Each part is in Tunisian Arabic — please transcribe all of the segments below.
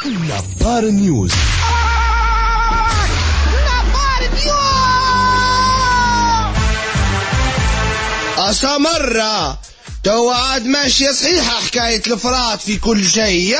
نبار نيوز. نبار نيوز. أسمرة تو عاد ماشية صحيحة حكاية الإفراط في كل شيء.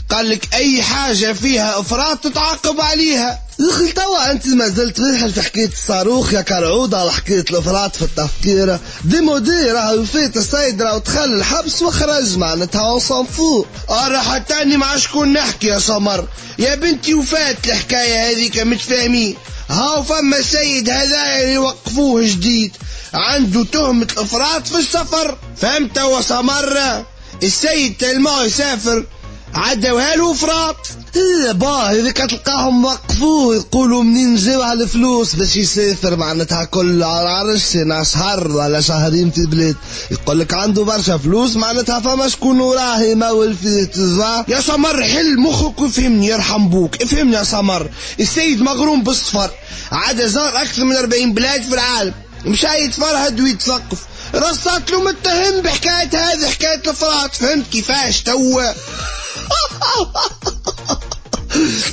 قال لك أي حاجة فيها إفراط تتعاقب عليها. يا توا أنت ما زلت ريحة في حكاية الصاروخ يا كرعودة على حكاية الإفراط في التفكير. démodé راهو فات السيد راهو دخل الحبس وخرج معناتها on s'en fout. أرى حتى أني مع شكون نحكي يا سمر يا بنتي، وفات الحكاية هذيك متفاهمين. هاو فما السيد هذا اللي وقفوه جديد عنده تهمة الإفراط في السفر، فهمت يا سمر؟ السيد تلماه يسافر عداوها له افراط. إيه با هذيك تلقاهم وقفوه يقولوا منين جاو على الفلوس باش يسافر معناتها كل عرش شهر ولا شهرين في بلاد، يقول لك عنده برشا فلوس معناتها فما شكون وراه يمول فيه تزا. يا سمر حل مخك وفهمني يرحم بوك، افهمني يا سمر. السيد مغروم بالسفر، عاد زار اكثر من 40 بلاد في العالم، مشى يتفرهد ويتثقف، رصات له متهم بحكاية هذه حكاية الافراط، فهمت كيفاش تو؟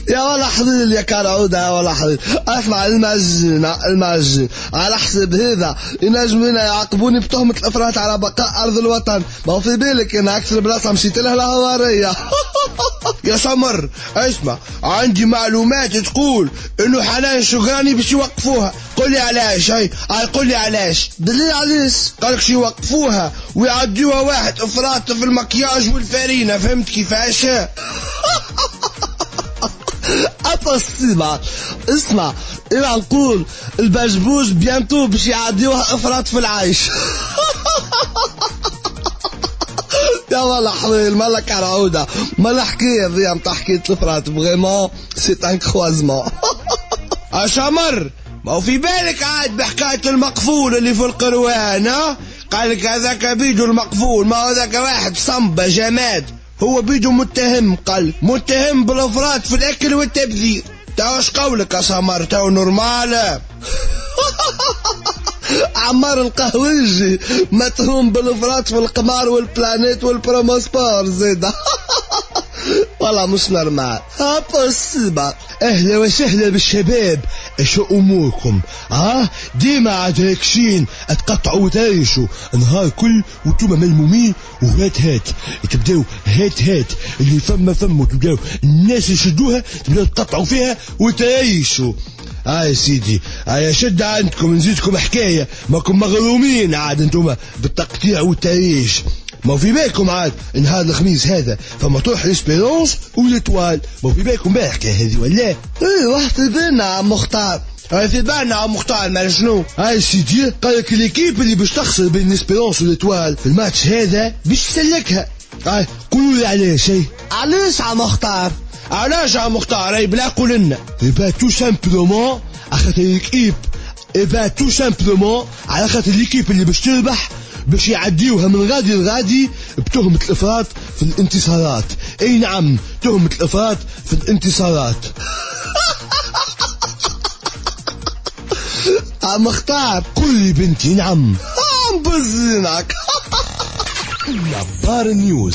يا ولا حليل يا كرعودة يا ولا حليل. اسمع المعجن على حسب هذا ينجموا يعاقبوني بتهمة الافراط على بقاء ارض الوطن. ما هو في بالك ان اكثر بلاصة مشيت لها الهوارية. يا سمر اسمع، عندي معلومات تقول انه حنان شقراني باش يوقفوها. قول لي علاش؟ هاي قول لي علاش؟ دليل علاش؟ قالك شي يوقفوها ويعديوها واحد افراط في المكياج والفارينة، فهمت كيفاش؟ أتصيبة. اسمع إلى نقول البجبوج bientôt باش يعديوها افراط في العيش. يا والله حليل مالا كرعودة مالا حكاية ذي نتاع حكاية الافراط، vraiment c'est un croisement. أشمر ما هو في بالك عاد بحكاية المقفول اللي في القروان؟ قالك هذاك بيدو المقفول، ما هو ذاك واحد صنبة جماد، هو بيدو متهم، قال متهم بالافراط في الاكل والتبذير. تو اش قولك يا سمر؟ تو normal. عمار القهوجي متهم بالافراط في القمار والبلانيت والبروموسبور زيد. والله مش normal. impossible. اهلا وسهلا بالشباب، شو اموركم؟ ديما عاد هاكشين تقطعوا وتعيشوا نهار كل وانتم ملمومين، وهات هات تبداو هات هات اللي فما فما وتبداو الناس يشدوها تبداو تقطعوا فيها وتعيشوا. يا سيدي يا شد عندكم نزيدكم حكاية، ماكم مغرومين عاد انتم بالتقطيع والتعيش. ما في بالكم عاد نهار الخميس هذا فما تروح l'Espérance و l'Étoile، ما في بالكم بقى الحكاية هذه ولا؟ ايه واحد في بالنا عم مختار، في بالنا عم مختار ما شنو؟ هاي سيدي قال لك l'équipe اللي باش تخسر بين l'Espérance و l'Étoile في الماتش هذا باش تسلكها. قولوا لي علاش؟ علاش عم مختار؟ علاش عم مختار؟ اي بلا قول لنا. eh ben tout simplement خاطر l'équipe، eh ben tout simplement على خاطر l'équipe اللي باش تربح باش يعديوها من غادي لغادي بتهمة الإفراط في الانتصارات. اي نعم تهمة الإفراط في الانتصارات. عم اختار قل لي بنتي. نعم عم بزينك. نبار نيوز.